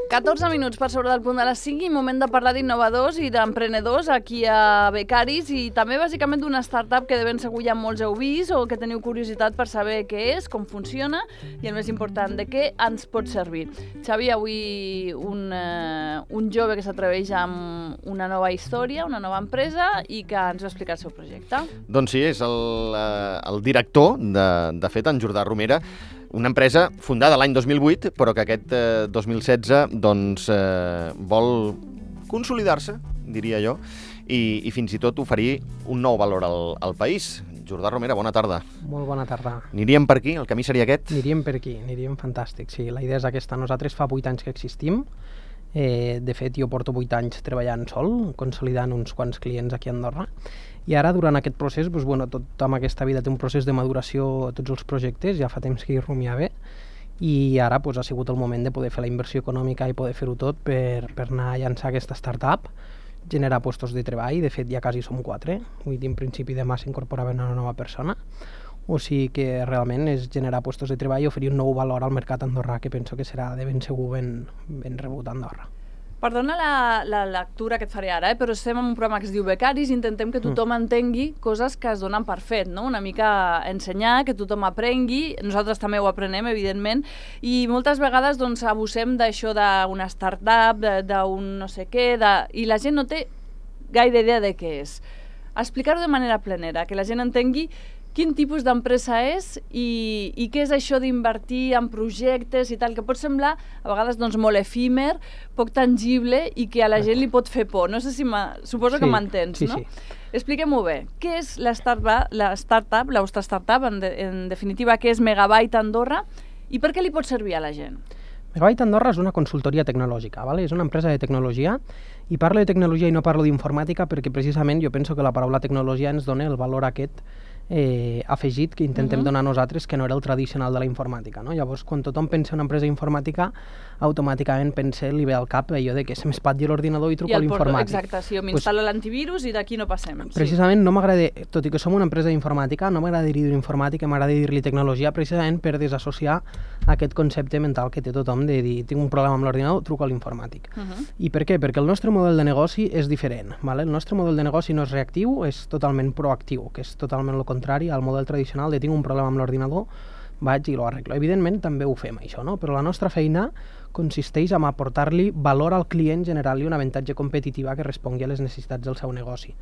14 minuts per sobre del punt de les 5 i moment de parlar d'innovadors i d'emprenedors aquí a Becaris i també bàsicament d'una startup que de ben segur ja molts heu vist o que teniu curiositat per saber què és, com funciona i el més important, de què ens pot servir. Xavi, avui un jove que s'atreveix amb una nova història, una nova empresa i que ens va explicar el seu projecte. Doncs sí, és el director, de fet, en Jordà Romera, una empresa fundada l'any 2008, però que aquest 2016 doncs, vol consolidar-se, diria jo, i fins i tot oferir un nou valor al país. Jordà Romera, bona tarda. Molt bona tarda. Aniríem per aquí? El camí seria aquest? Aniríem per aquí, aniríem fantàstic. Sí, la idea és aquesta. Nosaltres fa 8 anys que existim. De fet, jo porto 8 anys treballant sol, consolidant uns quants clients aquí a Andorra. I ara, durant aquest procés, tot amb aquesta vida té un procés de maduració a tots els projectes, ja fa temps que hi rumiava, i ara ha sigut el moment de poder fer la inversió econòmica i poder fer-ho tot per anar a llançar aquesta startup, generar llocs de treball. De fet, ja quasi som 4, vull dir, en principi demà s'incorporava una nova persona, o sigui que realment és generar llocs de treball i oferir un nou valor al mercat andorrà, que penso que serà de ben segur ben rebut a Andorra. Perdona la lectura que et faré ara, però estem en un programa que es diu Becaris i intentem que tothom entengui coses que es donen per fet, no? Una mica ensenyar, que tothom aprengui, nosaltres també ho aprenem, evidentment, i moltes vegades doncs, abusem d'això d'una startup, d'un no sé què, i la gent no té gaire idea de què és. Explicar-ho de manera plenera, que la gent entengui quin tipus d'empresa és i què és això d'invertir en projectes i tal, que pot semblar a vegades doncs, molt efímer, poc tangible i que a la gent li pot fer por. No sé si suposo que m'entens, no? Sí. Expliquem-ho bé. Què és la startup, la vostra startup, en definitiva, què és Megabyte Andorra i per què li pot servir a la gent? Megabyte Andorra és una consultoria tecnològica, ¿vale? És una empresa de tecnologia i parlo de tecnologia i no parlo d'informàtica perquè precisament jo penso que la paraula tecnologia ens dona el valor aquest afegit que intentem donar nosaltres, que no era el tradicional de la informàtica, no? Llavors, quan tothom pensa en una empresa informàtica, automàticament li ve al cap allò de que se m'espatlli l'ordinador i truco a l'informàtic. Exacte, sí, m'instal·lo l'antivirus i d'aquí no passem. Precisament no m'agrada, tot i que som una empresa d'informàtica, no m'agrada dir-hi informàtica, m'agrada dir-li tecnologia, precisament per desassociar aquest concepte mental que té tothom de dir tinc un problema amb l'ordinador, truco a l'informàtic. I per què? Perquè el nostre model de negoci és diferent, ¿vale? El nostre model de negoci no és reactiu, és totalment proactiu, que és totalment el contrari al model tradicional de tinc un problema amb l'ordinador, vaig i lo arreglo. Evidentment també ho fem això, no? Però la nostra feina consisteix en aportar-li valor al client, generant-li un avantatge competitiva que respongui a les necessitats del seu negoci.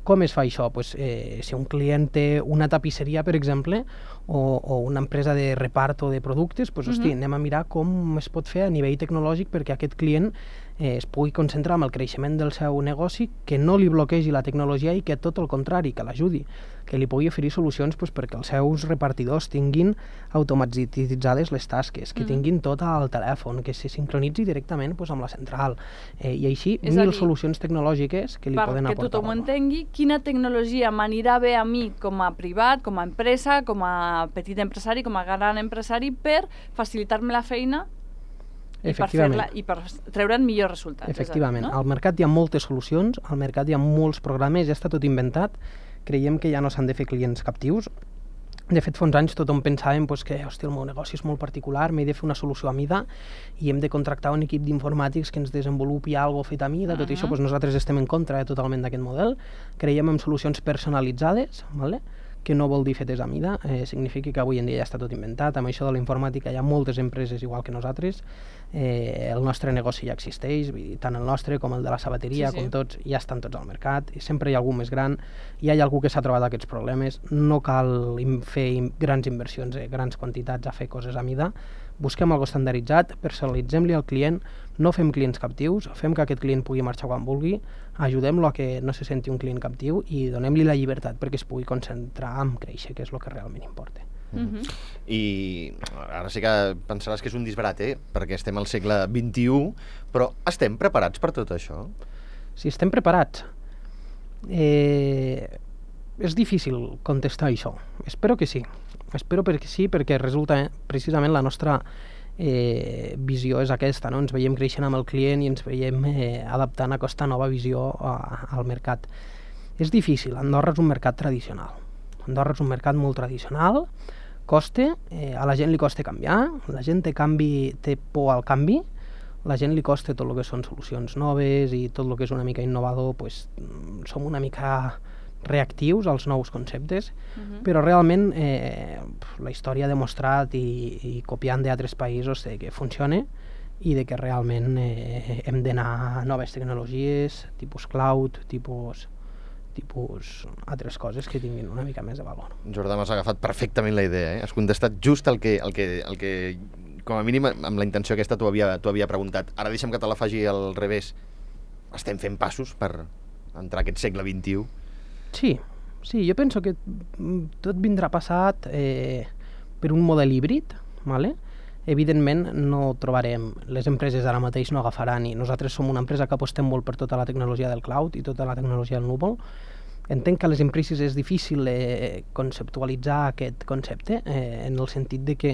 Com es fa això? Pues, si un client té una tapisseria, per exemple, o una empresa de repart o de productes, pues, hosti, anem a mirar com es pot fer a nivell tecnològic perquè aquest client es pugui concentrar en el creixement del seu negoci, que no li bloquegi la tecnologia i que tot el contrari, que l'ajudi, que li pugui oferir solucions pues, perquè els seus repartidors tinguin automatitzades les tasques, que tinguin tot al telèfon, que se sincronitzi directament pues, amb la central, i així mil solucions tecnològiques que li poden aportar. Perquè tothom entengui quina tecnologia m'anirà bé a mi com a privat, com a empresa, com a petit empresari, com a gran empresari, per facilitar-me la feina i per treure'n millors resultats. Efectivament. Al mercat hi ha moltes solucions, al mercat hi ha molts programes, ja està tot inventat. Creiem que ja no s'han de fer clients captius. De fet, fa uns anys tothom pensàvem que el meu negoci és molt particular, m'he de fer una solució a mida i hem de contractar un equip d'informàtics que ens desenvolupi alguna cosa fet a mida. Tot això nosaltres estem en contra totalment d'aquest model. Creiem en solucions personalitzades, ¿vale? Que no vol dir fetes a mida, significa que avui en dia ja està tot inventat. Amb això de la informàtica hi ha moltes empreses igual que nosaltres, el nostre negoci ja existeix, vull dir, tant el nostre com el de la sabateria, com tots, ja estan tots al mercat, i sempre hi ha algú més gran, ja hi ha algú que s'ha trobat aquests problemes, no cal fer grans inversions, grans quantitats a fer coses a mida, busquem algo estandarditzat, personalitzem-li al client, no fem clients captius, fem que aquest client pugui marxar quan vulgui, ajudem-lo a que no se senti un client captiu i donem-li la llibertat perquè es pugui concentrar en créixer, que és el que realment importa. I ara sí que pensaràs que és un disbarat, perquè estem al segle XXI, però estem preparats per tot això? Si estem preparats, és difícil contestar això. Espero que sí. Espero que sí, perquè resulta precisament la nostra visió és aquesta, no? Ens veiem creixent amb el client i ens veiem adaptant a aquesta nova visió al mercat. És difícil, Andorra és un mercat tradicional. Andorra és un mercat molt tradicional, costa, a la gent li costa canviar, la gent té por al canvi, la gent li costa tot el que són solucions noves i tot el que és una mica innovador, pues, som una mica reactius als nous conceptes, però realment la història ha demostrat i copiant d'altres països que funciona i de que realment hem d'anar a noves tecnologies, tipus cloud, tipus altres coses que tinguin una mica més de valor. Jordà, m'has agafat perfectament la idea, Has contestat just el que com a mínim amb la intenció aquesta t'ho havia preguntat. Ara deixa'm que te la faci al revés. Estem fent passos per entrar a aquest segle XXI? Sí, jo penso que tot vindrà passat per un model híbrid, ¿vale? Evidentment no trobarem, les empreses ara mateix no agafaran, i nosaltres som una empresa que apostem molt per tota la tecnologia del cloud i tota la tecnologia del núvol. Entenc que a les empreses és difícil conceptualitzar aquest concepte, en el sentit de que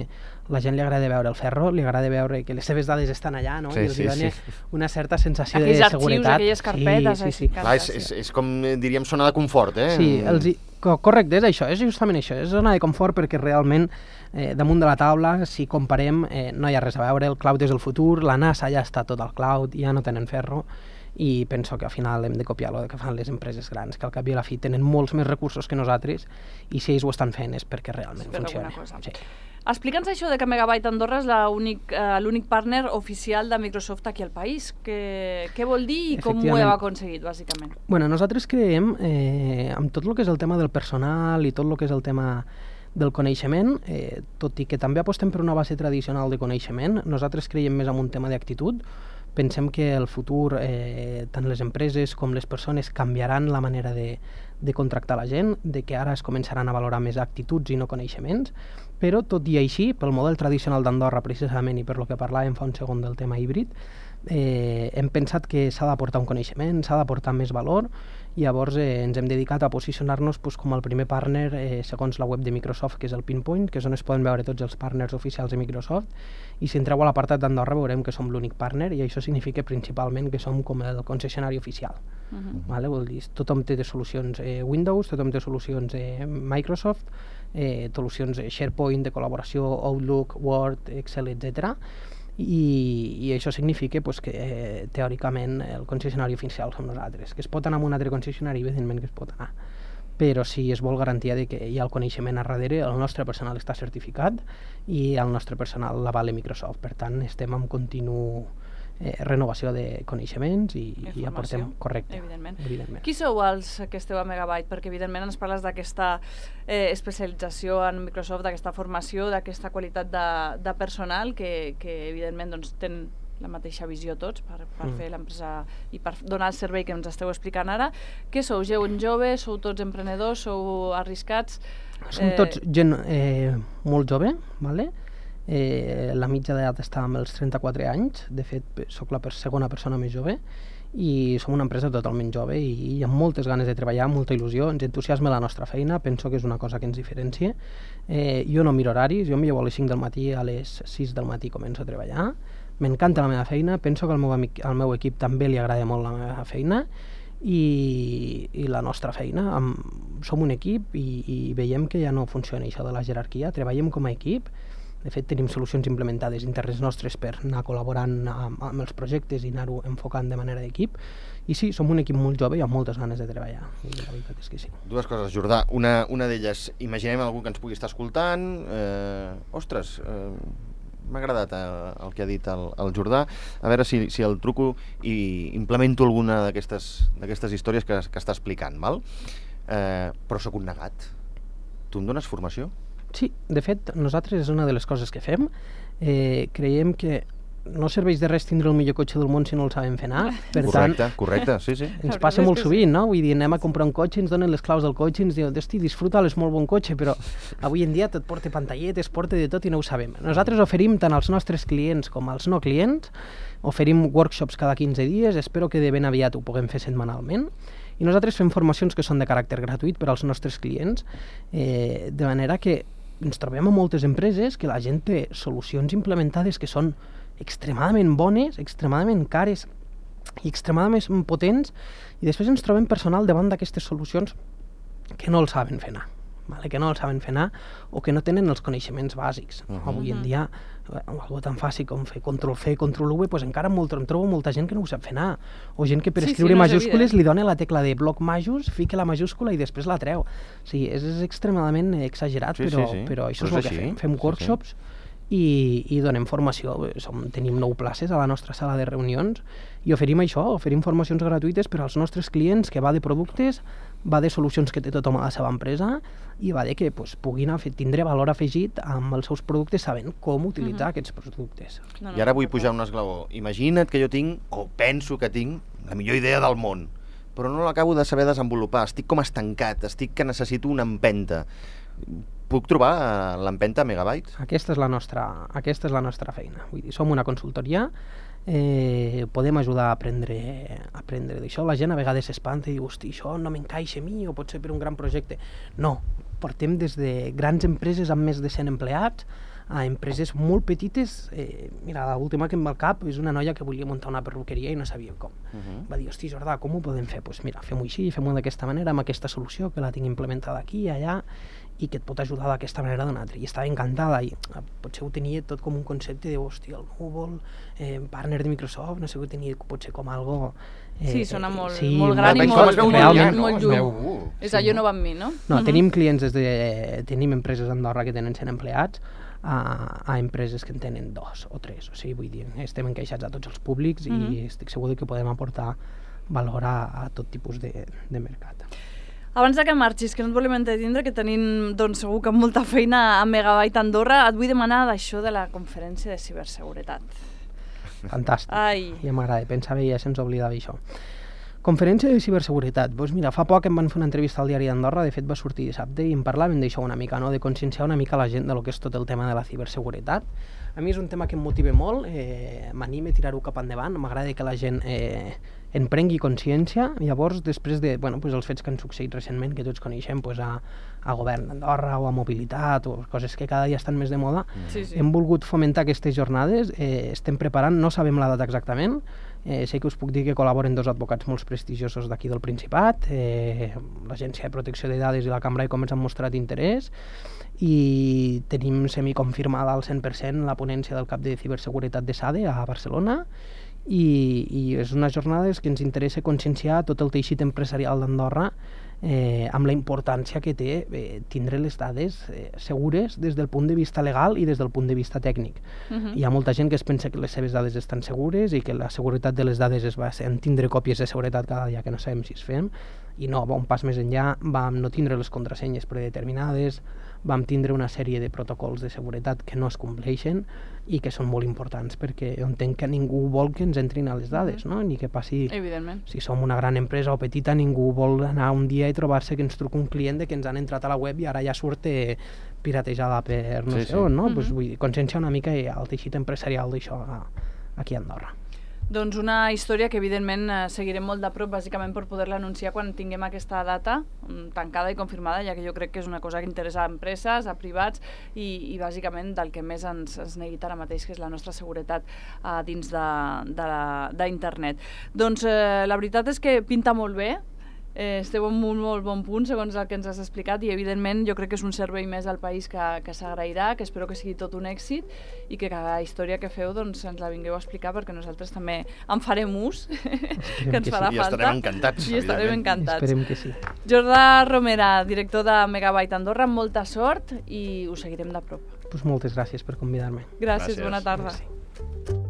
la gent li agrada veure el ferro, li agrada veure que les seves dades estan allà, no? I els dona una certa sensació de seguretat. Aquells arxius, aquelles carpetes. Clar, és com diríem zona de confort, Sí, correcte, és això, és justament això, és zona de confort perquè realment damunt de la taula, si comparem, no hi ha res a veure, el cloud és el futur, la NASA ja està tot al cloud, ja no tenen ferro, i penso que al final hem de copiar el que fan les empreses grans, que al cap i a la fi tenen molts més recursos que nosaltres, i si ells ho estan fent és perquè realment funciona. Sí. Explica'ns això de que Megabyte Andorra és l'únic partner oficial de Microsoft aquí al país. Què vol dir i com ho heu aconseguit, bàsicament? Bueno, nosaltres creiem, amb tot el que és el tema del personal i tot el que és el tema del coneixement, tot i que també apostem per una base tradicional de coneixement, nosaltres creiem més en un tema d'actitud. Pensem que el futur, tant les empreses com les persones, canviaran la manera de contractar la gent, de que ara es començaran a valorar més actituds i no coneixements, però tot i així, pel model tradicional d'Andorra precisament i per lo que parlàvem fa un segon del tema híbrid, hem pensat que s'ha d'aportar un coneixement, s'ha d'aportar més valor, i llavors ens hem dedicat a posicionar-nos com el primer partner segons la web de Microsoft, que és el Pinpoint, que és on es poden veure tots els partners oficials de Microsoft, i si entreu a l'apartat d'Andorra veurem que som l'únic partner, i això significa principalment que som com el concessionari oficial. Vale? Vol dir, tothom té solucions Windows, tothom té solucions Microsoft, solucions SharePoint, de col·laboració, Outlook, Word, Excel, etc. I això significa que teòricament el concessionari oficial som nosaltres. Que es pot anar amb un altre concessionari, evidentment que es pot anar, però si es vol garantia de que hi ha el coneixement a darrere, el nostre personal està certificat i el nostre personal l'avala Microsoft. Per tant, estem en continu renovació de coneixements i aportem, correcte. Evidentment. Qui sou els que esteu a Megabyte? Perquè evidentment ens parles d'aquesta especialització en Microsoft, d'aquesta formació, d'aquesta qualitat de personal que evidentment tenen la mateixa visió tots per fer l'empresa i per donar el servei que ens esteu explicant ara. Què sou? Gent jove? Sou tots emprenedors? Sou arriscats? Som tots gent molt jove, vale? La mitja d'edat està amb els 34 anys, de fet sóc la segona persona més jove, i som una empresa totalment jove i amb moltes ganes de treballar, molta il·lusió, ens entusiasma la nostra feina, penso que és una cosa que ens diferencia. Jo no miro horaris, jo em llevo a les 5 del matí, a les 6 del matí començo a treballar, m'encanta la meva feina, penso que al meu equip també li agrada molt la meva feina, i la nostra feina, som un equip i veiem que ja no funciona això de la jerarquia, treballem com a equip. De fet, tenim solucions implementades internes nostres per anar col·laborant amb els projectes i anar-ho enfocant de manera d'equip. I sí, som un equip molt jove i amb moltes ganes de treballar. I la veritat és que sí. Dues coses, Jordà. Una d'elles, imaginem algú que ens pugui estar escoltant. Ostres, m'ha agradat el que ha dit el Jordà. A veure si el truco i implemento alguna d'aquestes històries que està explicant, val? Però sóc un negat. Tu em dones formació? Sí, de fet, nosaltres és una de les coses que fem. Creiem que no serveix de res tindre el millor cotxe del món si no el sabem fer anar. Correcte, sí. Ens passa molt sovint, no? Vull dir, anem a comprar un cotxe, ens donen les claus del cotxe i ens diuen, hosti, disfruta-lo, és molt bon cotxe, però avui en dia tot porta pantalletes, porta de tot i no ho sabem. Nosaltres oferim tant als nostres clients com als no clients, oferim workshops cada 15 dies, espero que de ben aviat ho puguem fer setmanalment, i nosaltres fem formacions que són de caràcter gratuït per als nostres clients, de manera que ens trobem a moltes empreses que la gent té solucions implementades que són extremadament bones, extremadament cares i extremadament potents, i després ens trobem personal davant d'aquestes solucions que no el saben fer anar, que no el saben fer anar o que no tenen els coneixements bàsics. Avui en dia algo tan fàcil com fer Ctrl-C, Ctrl-V, doncs encara em trobo molta gent que no ho sap fer anar. O gent que per escriure majúscules li dona la tecla de bloc majús, fica la majúscula i després la treu. O sigui, és extremadament exagerat, però això és el que fem. Fem workshops i donem formació. Tenim 9 places a la nostra sala de reunions i oferim això, oferim formacions gratuïtes per als nostres clients, que va de productes, va de solucions que té tothom a la seva empresa i va de que puguin tindre valor afegit amb els seus productes sabent com utilitzar aquests productes. I ara vull pujar un esglaó. Imagina't que jo tinc, o penso que tinc, la millor idea del món, però no l'acabo de saber desenvolupar. Estic com estancat, que necessito una empenta. Puc trobar l'empenta a Megabytes? Aquesta és la nostra feina. Vull dir, som una consultoria, podem ajudar a aprendre d'això. La gent a vegades s'espanta i diu, hosti, això no m'encaixa a mi, o pot ser per un gran projecte. No, portem des de grans empreses amb més de 100 empleats a empreses molt petites. Mira, l'última que em va al cap és una noia que volia muntar una perruqueria i no sabia com. Va dir, hosti, Jordà, com ho podem fer? Doncs mira, fem-ho així, fem-ho d'aquesta manera, amb aquesta solució, que la tinc implementada aquí i allà, i que et pot ajudar d'aquesta manera d'una altra. I estava encantada, i potser ho tenia tot com un concepte de, hòstia, el Google, partner de Microsoft, no sé, ho tenia potser com algo... Sí, sona molt gran i molt lluny. És allò no va amb mi, no? No, tenim clients tenim empreses a Andorra que tenen 100 empleats, a empreses que en tenen 2 o 3, o sigui, vull dir, estem encaixats a tots els públics i estic segur que podem aportar valor a tot tipus de mercat. Abans que marxis, que no et volem entretindre, que tenim segur que molta feina a Megabyte Andorra, et vull demanar d'això de la conferència de ciberseguretat. Fantàstic, ja m'agrada, pensava ja se'ns oblidava això. Conferència de ciberseguretat. Doncs mira, fa poc em van fer una entrevista al Diari d'Andorra, de fet va sortir dissabte, i em parlaven d'això una mica, de conscienciar una mica la gent de lo que és tot el tema de la ciberseguretat. A mi és un tema que em motiva molt, m'anima a tirar-ho cap endavant, m'agrada que la gent en prengui consciència. Llavors, després de els fets que han succeït recentment, que tots coneixem, a Govern d'Andorra o a Mobilitat, o coses que cada dia estan més de moda, hem volgut fomentar aquestes jornades, estem preparant, no sabem la data exactament, sé que us puc dir que col·laboren 2 advocats molt prestigiosos d'aquí del Principat, l'Agència de Protecció de Dades i la Cambra de Comerç han mostrat interès, i tenim semiconfirmada al 100% la ponència del cap de ciberseguretat de SADE a Barcelona, i és unes jornades que ens interessa conscienciar tot el teixit empresarial d'Andorra amb la importància que té tindre les dades segures des del punt de vista legal i des del punt de vista tècnic. Hi ha molta gent que es pensa que les seves dades estan segures i que la seguretat de les dades es basa en tindre còpies de seguretat cada dia que no sabem si es fem, i no, va un pas més enllà, vam no tindre les contrasenyes predeterminades, vam tindre una sèrie de protocols de seguretat que no es compleixen i que són molt importants, perquè entenc que ningú vol que ens entrin a les dades, no? Ni que passi... Evidentment. Si som una gran empresa o petita, ningú vol anar un dia i trobar-se que ens truca un client de que ens han entrat a la web i ara ja surt piratejada per no sé on, no? Vull dir, conscienciar una mica el teixit empresarial d'això aquí a Andorra. Doncs una història que evidentment seguirem molt de prop, bàsicament per poder-la anunciar quan tinguem aquesta data tancada i confirmada, ja que jo crec que és una cosa que interessa a empreses, a privats i bàsicament del que més ens neguita ara mateix, que és la nostra seguretat dins d'internet. Doncs la veritat és que pinta molt bé, esteu en un molt bon punt segons el que ens has explicat, i evidentment jo crec que és un servei més al país que s'agrairà, que espero que sigui tot un èxit i que cada història que feu ens la vingueu a explicar, perquè nosaltres també en farem ús, que ens farà falta. I estarem encantats. I estarem encantats. Esperem que sí. Jordà Romera, director de Megabyte Andorra, molta sort i us seguirem de prop. Moltes gràcies per convidar-me. Gràcies, bona tarda. Merci.